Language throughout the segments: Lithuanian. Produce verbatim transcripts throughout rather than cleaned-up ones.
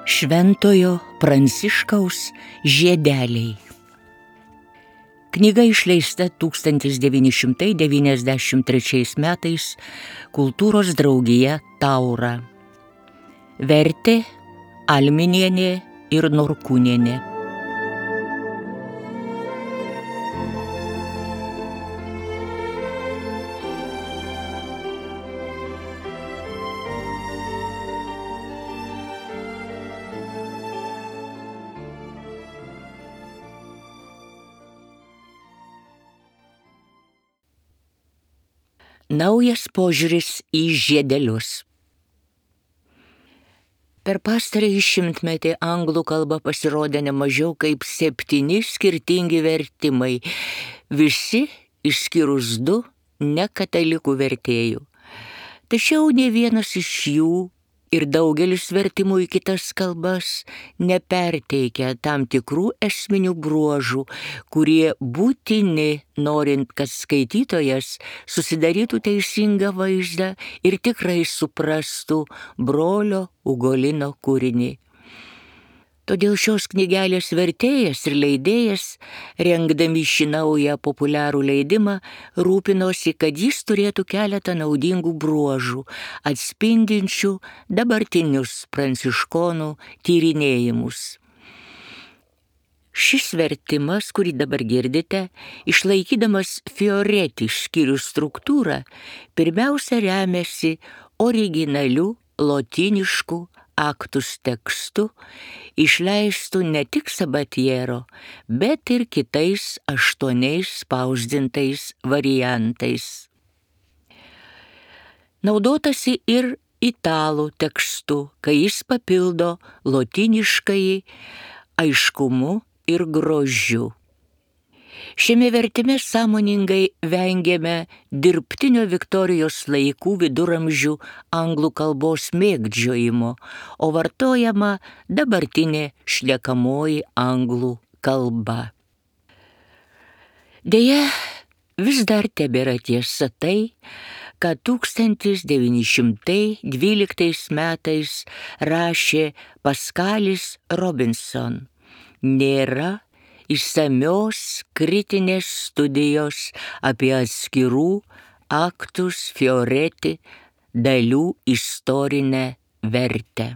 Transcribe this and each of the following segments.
Šventojo Pranciškaus žiedeliai. Knyga išleista tūkstantis devyni šimtai devyniasdešimt trečiais metais Kultūros draugija Taura. Vertė Alminienė ir Norkūnienė. Naujas požiūris į žiedelius. Per pastarąjį šimtmetį anglų kalba pasirodė ne mažiau kaip septyni skirtingi vertimai, visi išskyrus du nekatalikų vertėjų. Tačiau ne vienas iš jų ir daugelis vertimų į kitas kalbas neperteikia tam tikrų esminių bruožų, kurie būtini, norint, kad skaitytojas susidarytų teisingą vaizdą ir tikrai suprastų brolio Ugolino kūrinį. Todėl šios knygelės vertėjas ir leidėjas, rengdami šį naują populiarų leidimą, rūpinosi, kad jis turėtų keletą naudingų bruožų, atspindinčių dabartinius pranciškonų tyrinėjimus. Šis vertimas, kurį dabar girdite, išlaikydamas Fioretti skyrių struktūrą, pirmiausia remiasi originaliu lotynišku aktus tekstu, išleistų ne tik Sabatiero, bet ir kitais aštuoniais spausdintais variantais. Naudotasi ir italų tekstu, kai jis papildo lotyniškąjį aiškumu ir grožiu. Šiame vertime sąmoningai vengėme dirbtinio Viktorijos laikų viduramžių anglų kalbos mėgdžiojimo, o vartojama dabartinė šnekamoji anglų kalba. Deja, vis dar tebėra tiesa tai, kad tūkstantis devyni šimtai dvyliktais metais rašė Paskalis Robinson. Nėra išsamios kritinės studijos apie atskirų aktus Fioretti dalių istorinę vertę.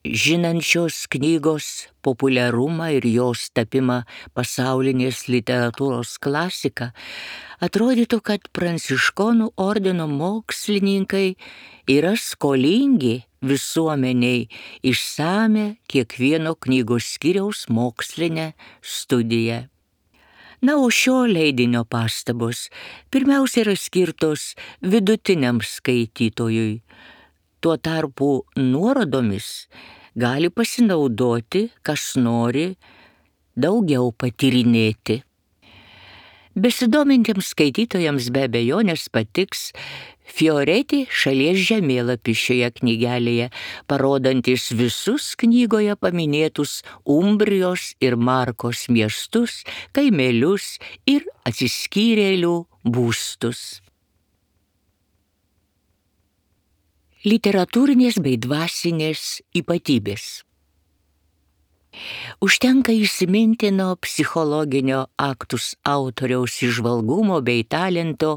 Žinant šios knygos populiarumą ir jos tapimą pasaulinės literatūros klasika, atrodytų, kad pranciškonų ordino mokslininkai yra skolingi visuomeniai išsame kiekvieno knygos skyriaus mokslinę studiją. Na, o šio leidinio pastabos pirmiausia yra skirtos vidutiniam skaitytojui. Tuo tarpu nuorodomis gali pasinaudoti, kas nori daugiau patyrinėti. Besidomintiems skaitytojams be abejonės patiks Fioretti šalies žemėlapis šioje knygelėje, parodantis visus knygoje paminėtus Umbrijos ir Markos miestus, kaimelius ir atsiskyrėlių būstus. Literatūrinės bei dvasinės ypatybės. Užtenka įsimintino psichologinio aktus autoriaus įžvalgumo bei talento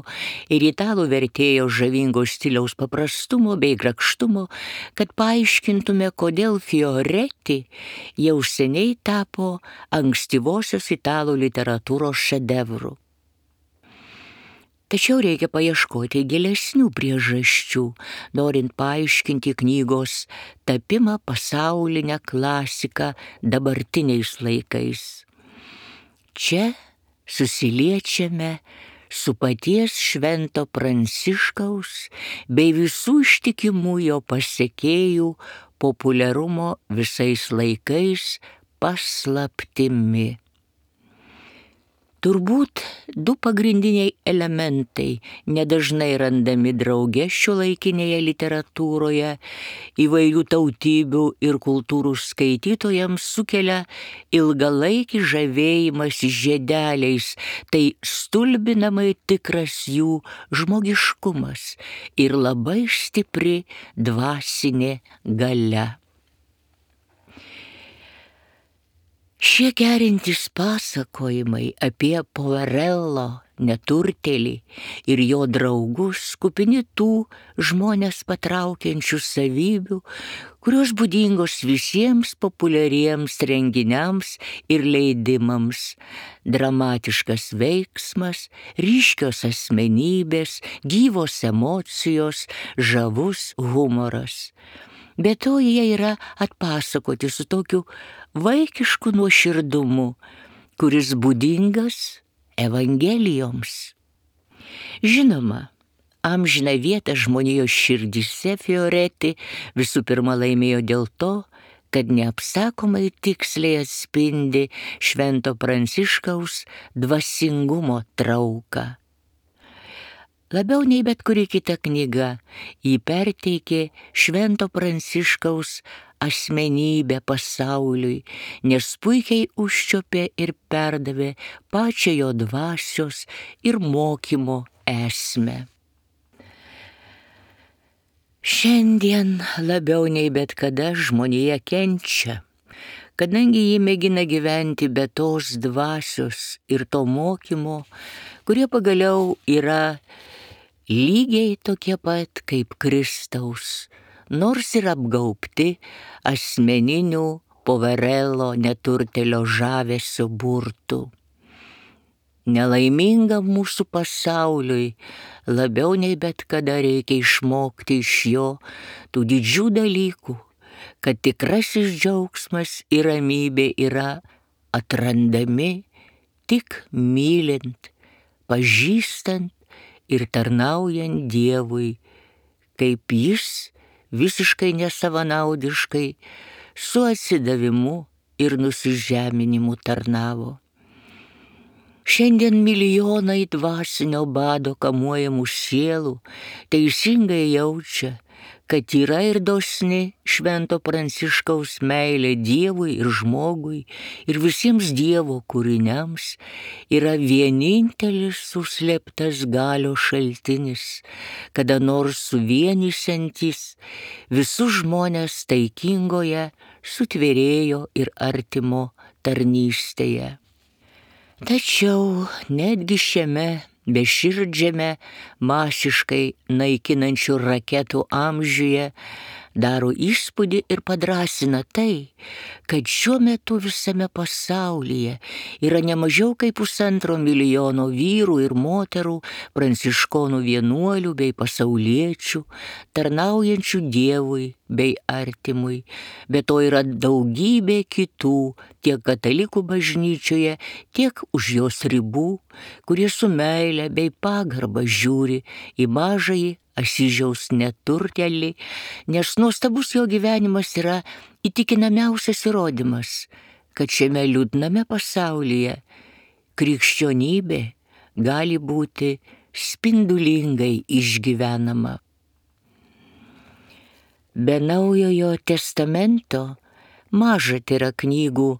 ir italų vertėjo žavingo stiliaus paprastumo bei grakštumo, kad paaiškintume, kodėl Fioretti jau seniai tapo ankstyvosios italų literatūros šedevru. Tačiau reikia paieškoti gilesnių priežasčių, norint paaiškinti knygos tapimą pasaulinę klasiką dabartiniais laikais. Čia susiliečiame su paties Švento Pranciškaus bei visų ištikimų jo pasekėjų populiarumo visais laikais paslaptimi. Turbūt du pagrindiniai elementai nedažnai randami drauge šiuolaikinėje literatūroje įvairių tautybių ir kultūrų skaitytojams sukelia ilgalaikį žavėjimąsi žiedeliais, tai stulbinamai tikras jų žmogiškumas ir labai stipri dvasinė galia. Šie gerintys pasakojimai apie Poverello neturtėlį ir jo draugus kupini tų žmonės patraukiančių savybių, kurios būdingos visiems populiariems renginiams ir leidimams. Dramatiškas veiksmas, ryškios asmenybės, gyvos emocijos, žavus humoras. Be to jie yra atpasakoti su tokiu vaikišku nuoširdumu, kuris būdingas Evangelijoms. Žinoma, amžiną vietą žmonijos širdyse Fioretti visų pirma laimėjo dėl to, kad neapsakomai tiksliai atspindi Švento Pranciškaus dvasingumo trauką. Labiau nei bet kuri kita knyga jį perteikė Švento Pranciškaus asmenybę pasauliui, nes puikiai užčiuopė ir perdavė pačią jo dvasios ir mokymo esmę. Šiandien labiau nei bet kada žmonija kenčia, kadangi jį mėgina gyventi be tos dvasios ir to mokymo, kurie pagaliau yra lygiai tokie pat kaip Kristaus, nors ir apgaubti asmeninių Poverello neturtėlio žavesio burtų. Nelaimingam mūsų pasauliui labiau nei bet kada reikia išmokti iš jo tų didžių dalykų, kad tikrasis džiaugsmas ir ramybė yra atrandami tik mylint, pažįstant ir tarnaujant Dievui, kaip jis visiškai nesavanaudiškai su atsidavimu ir nusižeminimu tarnavo. Šiandien milijonai dvasinio bado kamuojamų sielų teisingai jaučia, kad yra ir dosni Švento Pranciškaus meilė Dievui ir žmogui ir visiems Dievo kūriniams yra vienintelis suslėptas galios šaltinis, kada nors suvienysiantis visus žmonės taikingoje sutvėrėjo ir artimo tarnystėje. Tačiau netgi šiame beširdžiame masiškai naikinančių raketų amžiuje daro įspūdį ir padrasina tai, kad šiuo metu visame pasaulyje yra nemažiau kaip pusantro milijono vyrų ir moterų, pranciškonų vienuolių bei pasauliečių, tarnaujančių Dievui bei artimui. Be to yra daugybė kitų, tiek katalikų bažnyčioje, tiek už jos ribų, kurie su meile bei pagarba žiūri į mažąjį Asyžiaus neturtėlį, nes nuostabus jo gyvenimas yra įtikinamiausias įrodymas, kad šiame liūdname pasaulyje krikščionybė gali būti spindulingai išgyvenama. Be Naujojo testamento maža yra knygų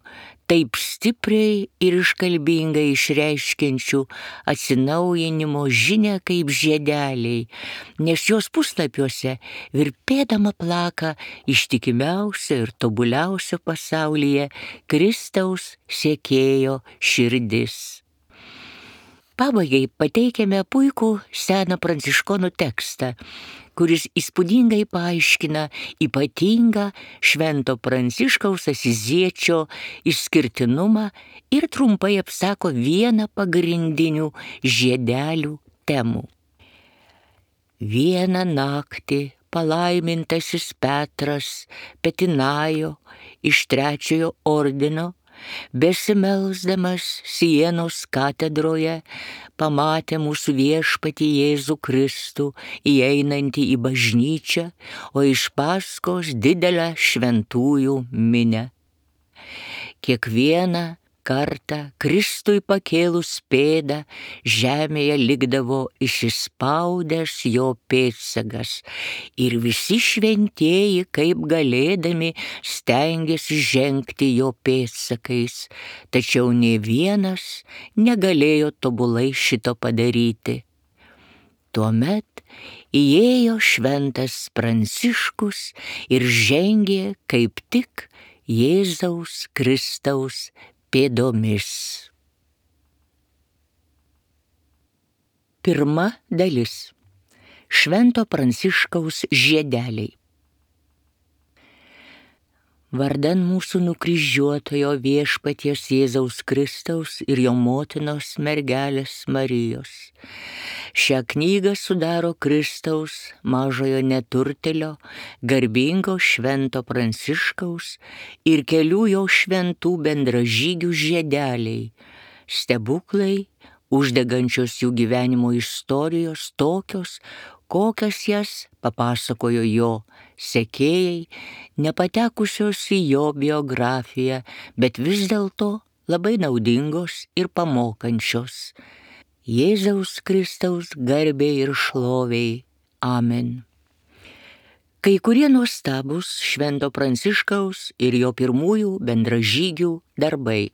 taip stipriai ir iškalbingai išreiškiančių atsinaujinimo žinią kaip žiedeliai, nes jos puslapiuose virpėdama plaka ištikimiausia ir tobuliausia pasaulyje Kristaus sekėjo širdis. Pabaigai pateikiame puikų seną pranciškonų tekstą, kuris įspūdingai paaiškina ypatingą Švento Pranciškaus Asiziečio išskirtinumą ir trumpai apsako vieną pagrindinių žiedelių temų. Vieną naktį palaimintasis Petras Petinajo iš trečiojo ordino, besimelsdamas Sienos katedroje, pamatė mūsų viešpatį Jėzų Kristų įeinantį į bažnyčią, o iš paskos didelę šventųjų minią. Kiekvieną kartą Kristui pakėlus pėdą, žemėje likdavo įsispaudęs jo pėdsakas, ir visi šventieji, kaip galėdami, stengėsi žengti jo pėdsakais, tačiau nė vienas negalėjo tobulai šito padaryti. Tuomet įėjo šventas Pranciškus ir žengė kaip tik Jėzaus Kristaus pėdomis. Pirma dalis. Švento Pranciškaus žiedeliai. Vardan mūsų nukryžiuotojo viešpaties Jėzaus Kristaus ir jo motinos mergelės Marijos. Šią knygą sudaro Kristaus mažojo neturtelio, garbingo švento Pranciškaus ir kelių jo šventų bendražygių žiedeliai, stebuklai, uždegančios jų gyvenimo istorijos tokios, kokias jas papasakojo jo sekėjai, nepatekusios į jo biografiją, bet vis dėlto labai naudingos ir pamokančios. Jėzaus Kristaus garbei ir šloviai. Amen. Kai kurie nuostabūs švento Pranciškaus ir jo pirmųjų bendražygių darbai.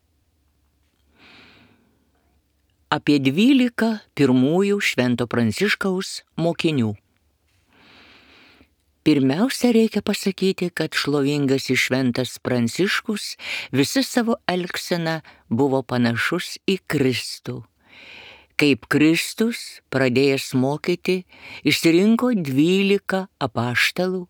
Apie dvylika pirmųjų švento Pranciškaus mokinių. Pirmiausia, reikia pasakyti, kad šlovingasis šventas Pranciškus visa savo elgsena buvo panašus į Kristų. Kaip Kristus, pradėjęs mokyti, išsirinko dvylika apaštalų,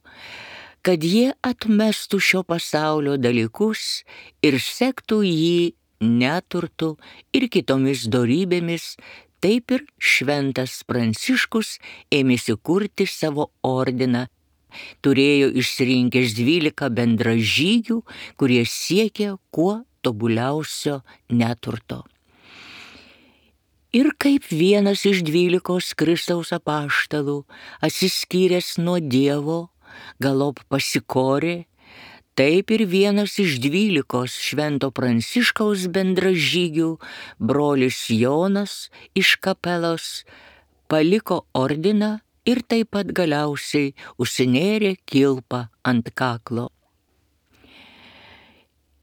kad jie atmestų šio pasaulio dalykus ir sektų jį neturtu ir kitomis dorybėmis, taip ir šventas Pranciškus ėmėsi kurti savo ordiną. Turėjo išsirinkęs dvylika bendražygių, kurie siekė kuo tobuliausio neturto. Ir kaip vienas iš dvylikos Kristaus apaštalų, atsiskyręs nuo Dievo, galop pasikorė, taip ir vienas iš dvylikos švento Pranciškaus bendražygių, brolis Jonas iš Kapelos, paliko ordiną ir taip pat galiausiai užsinėrė kilpą ant kaklo.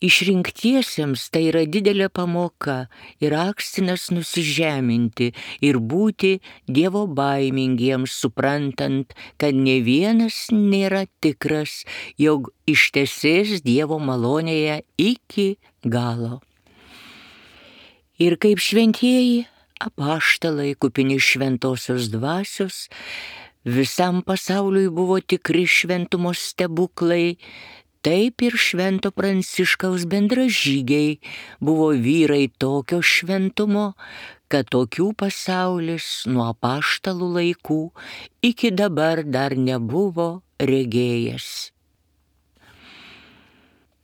Išrinktiesiems tai yra didelė pamoka ir akstinas nusižeminti ir būti Dievo baimingiems, suprantant, kad ne vienas nėra tikras, jog ištesės Dievo malonėje iki galo. Ir kaip šventieji apaštalai kupini šventosios dvasios, visam pasauliui buvo tikri šventumo stebuklai, taip ir švento Pranciškaus bendražygiai buvo vyrai tokio šventumo, kad tokių pasaulis nuo apaštalų laikų iki dabar dar nebuvo regėjęs.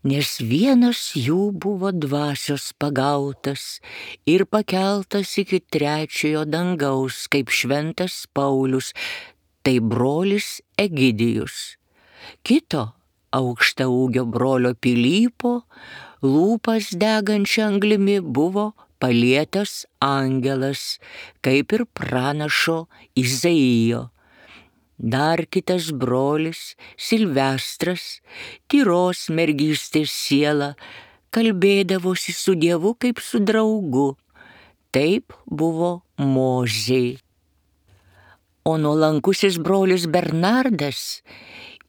Nes vienas jų buvo dvasios pagautas ir pakeltas iki trečiojo dangaus, kaip šventas Paulius, tai brolis Egidijus. Kito aukštaūgio brolio Pilypo lūpas degančia anglimi buvo palietęs angelas, kaip ir pranašo Izaijo. Dar kitas brolis, Silvestras, tyros mergystės siela, kalbėdavosi su Dievu kaip su draugu. Taip buvo Mozei. O nuolankusis brolis Bernardas,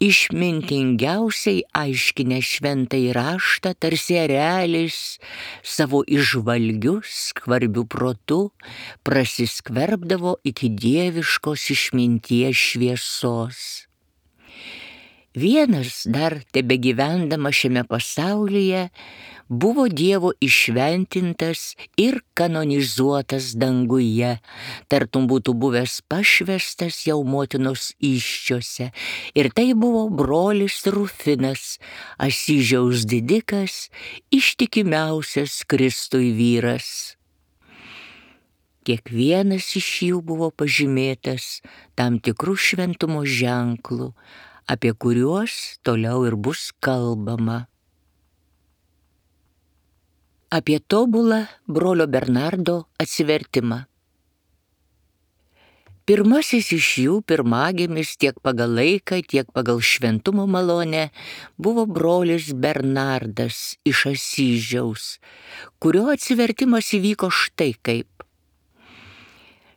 išmintingiausiai aiškinę šventąjį raštą, tarsi erelis, savo išvalgiu, skvarbiu protu, prasiskverbdavo iki dieviškos išminties šviesos. Vienas dar tebegyvendama šiame pasaulyje buvo Dievo išventintas ir kanonizuotas danguje, tartum būtų buvęs pašvestas jau motinos įsčiose, ir tai buvo brolis Rufinas, Asyžiaus didikas, ištikimiausias Kristui vyras. Kiekvienas iš jų buvo pažymėtas tam tikrų šventumo ženklų, apie kuriuos toliau ir bus kalbama. apie tobulą brolio Bernardo atsivertimą. Pirmasis iš jų, pirmagimis tiek pagal laiką, tiek pagal šventumo malonę, buvo brolis Bernardas iš Asyžiaus, kurio atsivertimas įvyko štai kaip.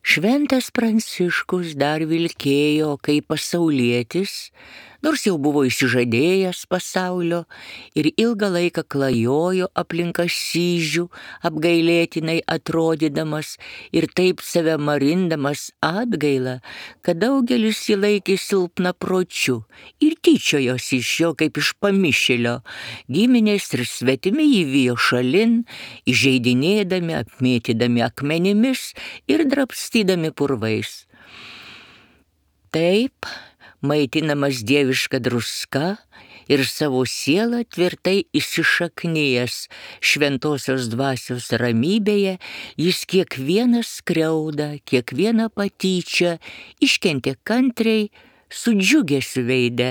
Šventas Pranciškus dar vilkėjo kaip pasaulietis, nors jau buvo išsižadėjęs pasaulio ir ilgą laiką klajojo aplink Asyžių, apgailėtinai atrodydamas ir taip save marindamas atgailą, kad daugelis jį laikė silpnapročiu ir tyčiojosi iš jo kaip iš pamišėlio. Giminės ir svetimi jį vijo šalin, įžeidinėdami, apmėtydami akmenimis ir drabstydami purvais. Taip, maitinamas dieviška druska ir savo sielą tvirtai įsišaknijęs šventosios dvasios ramybėje, jis kiekvieną skriaudą, kiekvieną patyčią iškentė kantriai, su džiugesiu veide,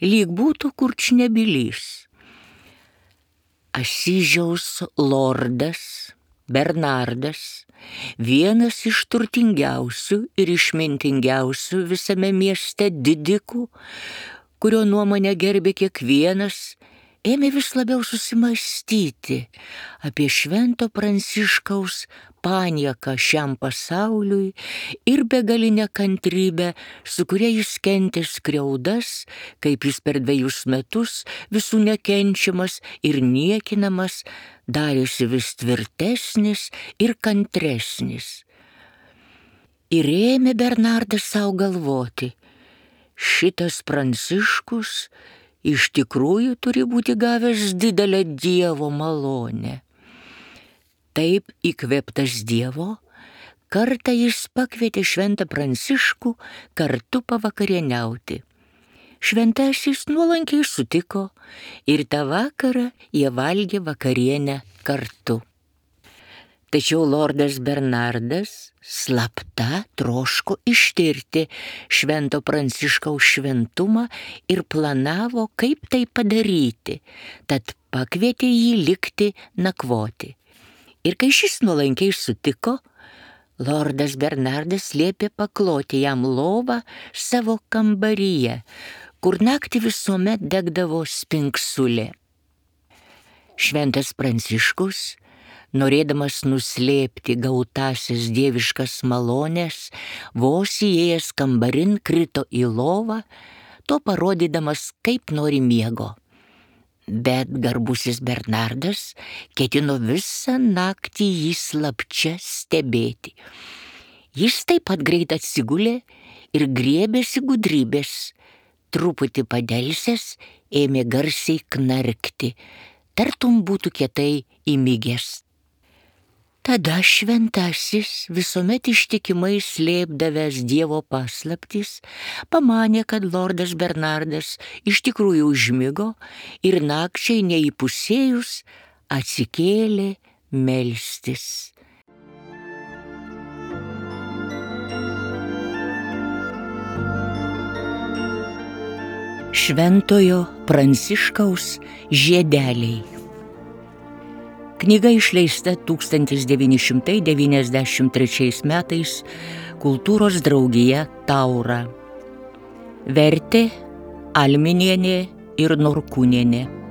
lyg būtų kurčnebylys. Asyžiaus lordas Bernardas, vienas iš turtingiausių ir išmintingiausių visame mieste didikų, kurio nuomonę gerbė kiekvienas, ėmė vis labiau susimąstyti apie švento Pranciškaus panieką šiam pasauliui ir begalinę kantrybę, su kuria jis kentė skriaudas, kaip jis per dvejus metus visų nekenčiamas ir niekinamas, darėsi vis tvirtesnis ir kantresnis. Ir ėmė Bernardas savo galvoti, šitas Pranciškus iš tikrųjų turi būti gavęs didelę Dievo malonę. Taip įkvėptas Dievo, kartą jis pakvietė šventą Pranciškų kartu pavakarieniauti. Šventasis nuolankiai sutiko ir tą vakarą jie valgė vakarienę kartu. Tačiau lordas Bernardas slapta troško ištirti švento Pranciškaus šventumą ir planavo, kaip tai padaryti, tad pakvietė jį likti nakvoti. Ir kai šis nuolankiai sutiko, lordas Bernardas liepė pakloti jam lovą savo kambaryje, kur naktį visuomet degdavo spinksulė. Šventas Pranciškus, norėdamas nuslėpti gautasias dieviškas malones, vos įėjęs kambarin krito į lovą, to parodydamas, kaip nori miego. Bet garbusis Bernardas ketino visą naktį jį slapčia stebėti. Jis taip pat greit atsigulė ir griebėsi gudrybės. Truputį padelsęs ėmė garsiai knarkti, tartum būtų kietai įmigęs. Tada šventasis, visuomet ištikimai slėpdavęs Dievo paslaptis, pamanė, kad lordas Bernardas iš tikrųjų užmigo ir nakčiai neįpusėjus atsikėlė melstis. Šventojo Pranciškaus žiedeliai. Knyga išleista tūkstantis devyni šimtai devyniasdešimt trečiais metais Kultūros draugija Taura. Vertė Alminienė ir Norkūnienė.